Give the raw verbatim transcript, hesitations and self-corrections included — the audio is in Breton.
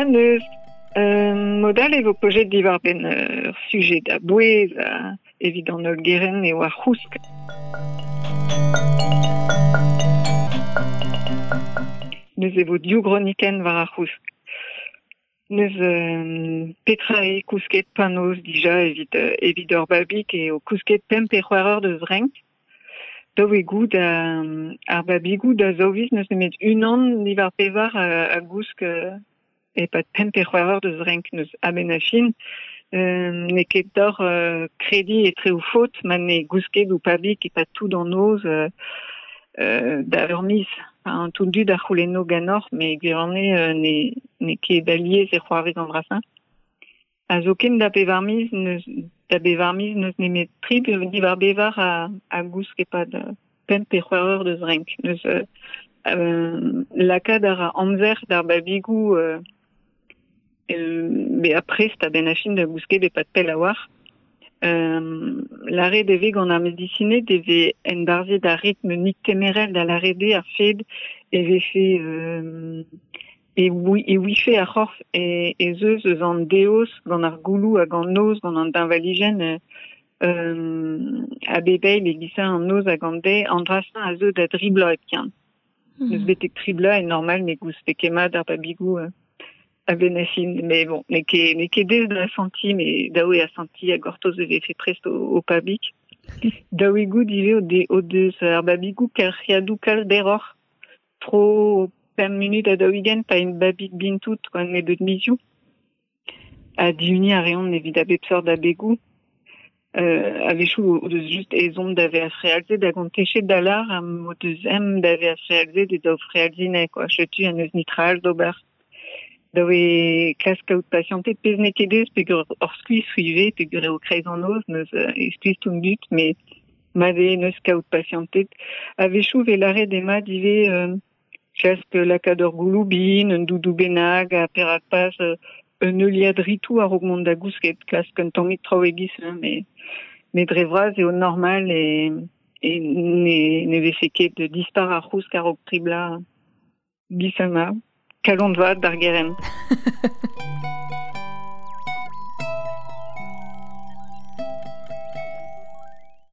neus, euh, modal e vo pojet diwar ben ur sujet da bouez a, evit an holl geren eo ar c'housk. Neus e vo div gronikenn war ar c'housk. Neus euh, petra e kousket panoz dija evit, euh, evit ur babig e o kousket pemp pe c'hwec'h eur deus renk. Daou e goud a, ar babigou da zaou viz neus nemet unan diwar pevar a, a gousk euh, e-pad pemp pe c'hwec'h eur deus renk neus a-benn ar fin. Euh, n'eo ket deoc'h euh, krediñ etre o faot ma ne gousket ou pabig e-pad tout an noz euh, euh, da ur miz. Enfin, tout dud a c'houlenno ganeoc'h, met gwirionez euh, ne, n'eo ket alies e c'hoarvez an dra-se. A zoken da pevar miz neus, da bevar miz neus nemet tri diwar bevar a, a gousk e-pad euh, pemp pe c'hwec'h eur deus renk. Neus euh, euh, lakaat a ra amzer d'ar babigou euh, euh, bezañ prest a-benn ar fin da gousket e-pad pell a-walc'h. Euh, lâret e vez gant ar medisined e vez enbarzhet ar ritm niktemerel da lâret eo ar fed e vefe euh, e oui, e ouife ar c'horf e, ez eus eus an deoz gant ar gouloù hag an noz gant an deñvalijenn euh, euh, a bep eil e gisa an noz hag an deiz an dra-se a zeu da dri bloaz hepken. Mm. Neus betek tri bloaz e normal ne gousfe ket mat ar babigou euh, a-benn ar fin. Mais bon, n'eo ket, n'eo ket aes da asantiñ, met dav eo asantiñ ha gortoz e vefe prest o, o pabig. Dav eo goût ivez o, de, o deus ar babigou kelc'hiadoù kalz berroc'h. Tro pemp munut ha daou-ugent pa int babig bihan-tout gant nebeut mizioù. Ha dihuniñ a reont evit a bep seurt abegoù. Euh, a-wechoù o deus just ezhomm da vezañ frealzet hag on techet da lâr ha m'o deus ezhomm da vezañ frealzet e daou frealziñ quoi. Setu an eus netra all d'ober. Dav eo klask kaout pasianted pezh n'eo ket aes peogwir ur skuizh ivez peogwir eo kreiz an noz neus e skuizh tout an dud met mat eo neus kaout pasianted. A-wechoù vez lâret eo mat ivez euh, klask lakaat ur gouloù bihan, un doudou bennak ha perak pas euh, un heuliad ritoù a-raok mont da gousket, klask un tammig traoù e-giz, hein, met, met dre vras eo normal e, e ne, ne vefe ket dispar ar c'housk a-raok tri bloaz. Giz-se ma. Kalon vat d'ar gerent.